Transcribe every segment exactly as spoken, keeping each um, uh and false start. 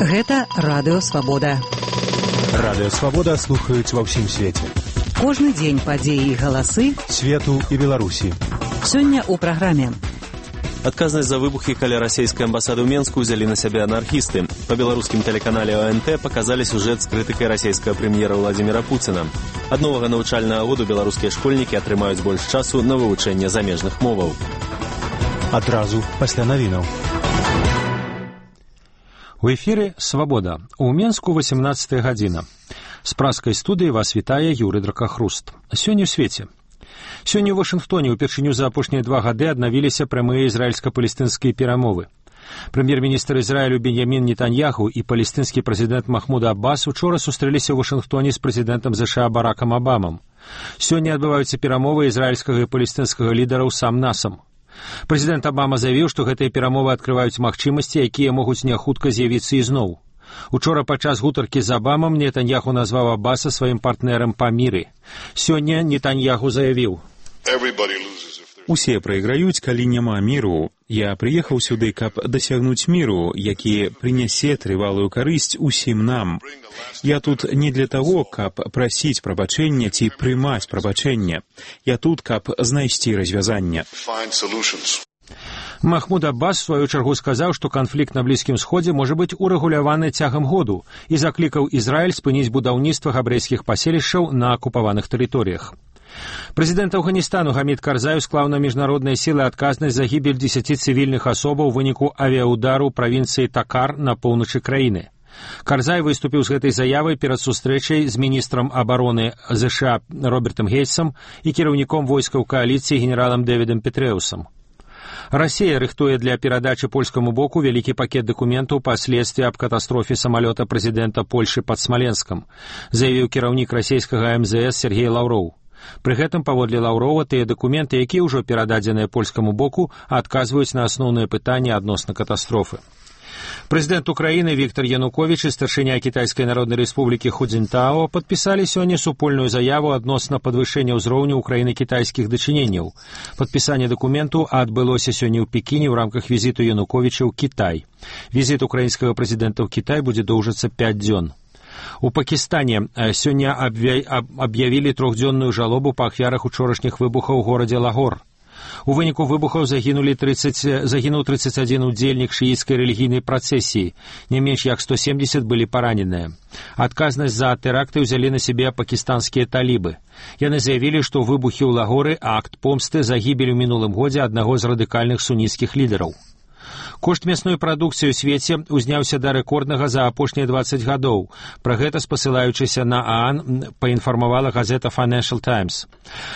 Гэта Радыё Свабода. Радыё Свабода слухаюць ва ўсім свеце. Кожны дзень падзеі і галасы свету і Беларусі. Сёння ў праграме. Адказнасць за выбухі каля расійскай амбасады ў Менску ўзялі на сябе анархісты. Па беларускім тэлеканале О Н Т паказалі сюжэт з крытыкай расійскага прэм'ера Владзіміра Пуціна. Ад новага навучальнага году беларускія школьнікі атрымаюць больш часу на вывучэнне замежных моваў. Адразу пасля навінаў. У эфіры «Свабода». У Менску восемнадцатая гадзіна. З праскай студыі вас вітае Юрый Дракахруст. Сёння ў свеце. Сёння ў Вашынгтоне ўпершыню за апошнія два гады аднавіліся прамыя ізраільска-палестынскія перамовы. Прэм'ер-міністр Ізраілю Беньямін Нетаньяху і палестынскі прэзідэнт Махмуд Аббас учора сустрэліся ў Вашынгтоне з прэзідэнтам ЗША Баракам Абамам. Сёння адбываюцца перамовы ізраільскага і палестынскага лідараў сам-насам. Прэзідэнт Абама заявіў, што гэтыя перамовы адкрываюць магчымасці, якія могуць няхутка з'явіцца ізноў. Учора падчас гутаркі з Абамам Нетаньяху назваў Аббаса сваім партнерам па міры. Сёння Нетаньяху заявіў: «Усе прайграюць, калі няма міру. Я прыехаў сюды, каб дасягнуць міру, які прынясе трывалую карысць усім нам. Я тут не для таго, каб прасіць прабачэння ці прымаць прабачэнне. Я тут, каб знайсці развязанне». Махмуд Аббас, в сваю чаргу, сказаў, што канфлікт на Блізкім Сходзе можа быць урэгуляваны цягам году і заклікаў Ізраіль спыніць будаўніцтва габрэйскіх паселішчаў на акупаваных тэрыторыях. Прэзідэнт Афганістану Гамід Карзай склаў на міжнародныя сілы адказнасць за гібель дзесяці цывільных асобаў у выніку авіяудару ў правінцыі Такар на поўначы краіны. Карзай выступіў з гэтай заявай перад сустрэчай з міністрам абароны ЗША Робертам Гейтсам і кіраўніком войскаў кааліцыі генералам Дэвідам Петрэусам. Расія рыхтуе для перадачы польскаму боку вялікі пакет дакументаў па следстве аб катастрофе самалёта прэзідэнта Польшы пад Смаленскам, заявіў кіраўнік расійскага эм зэ эс Сергей Лаўроў. Пры гэтым, паводле Лаўрова, тыя дакументы, якія ўжо перададзеныя польскаму боку, адказваюць на асноўныя пытанні адносна катастрофы. Прэзідэнт Украіны Віктор Януковіч і старшыня Кітайскай Народнай Рэспублікі Ху Цзінтао падпісалі сёння супольную заяву адносна падвышэння ўзроўню ўкраіна-кітайскіх дачыненняў. Падпісанне дакументу адбылося сёння ў Пекіне ў рамках візіту Януковіча ў Кітай. Візіт украінскага прэзідэнта ў Кітай будзе доўжыцца пяць дзён. У Пакістане сёння аб'явілі трохдзённую жалобу па ахвярах учорашніх выбухаў у горадзе Лагор. У выніку выбухаў загінулі тридцать, загінуў тридцать один удзельнік шыіцкай рэлігійнай працэсіі, не менш як сто семьдесят былі параненыя. Адказнасць за тэракты ўзялі на сябе пакістанскія талібы. Яны заявілі, што выбухі ў Лагоры — акт помсты за гібель у мінулым годзе аднаго з радыкальных суніцкіх лідараў. Кошт мясной прадукцыі ў свеце узняўся да рэкорднага за апошнія дваццаць гадоў. Пра гэта, спасылаючыся на ААН, паінфармавала газета Financial Times.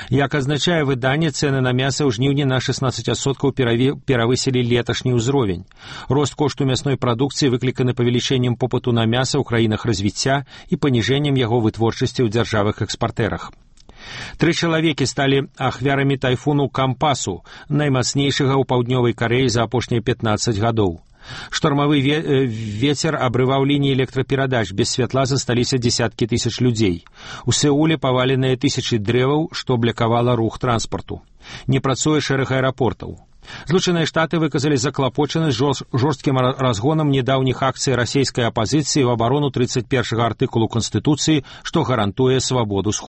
Як азначае выданне, цэны на мяса ў жніўні на шестнадцать адсоткаў перавысілі леташні ўзровень. Рост кошту мясной прадукцыі выкліканы павелічэннем попыту на мяса ў краінах развіцця і паніжэннем яго вытворчасці ў дзяржавах-экспартэрах. Тры чалавекі сталі ахвярамі тайфуну Кампасу, наймацнейшага ў паўднёвай Карэі за апошнія пятнаццаць гадоў. Штормавы вецер абрываў лініі электраперадач, без святла засталіся дзесяткі тысяч людзей. У Сеуле паваленыя тысячы дрэваў, што блакавала рух транспарту. Не працуе шэраг аэрапортаў. Злучаныя Штаты выказалі заклапочанасць жорсткім разгонам недаўніх акцый расійскай апазіцыі ў абарону тридцать первага артыкулу Канстытуцыі, што гарантуе свабоду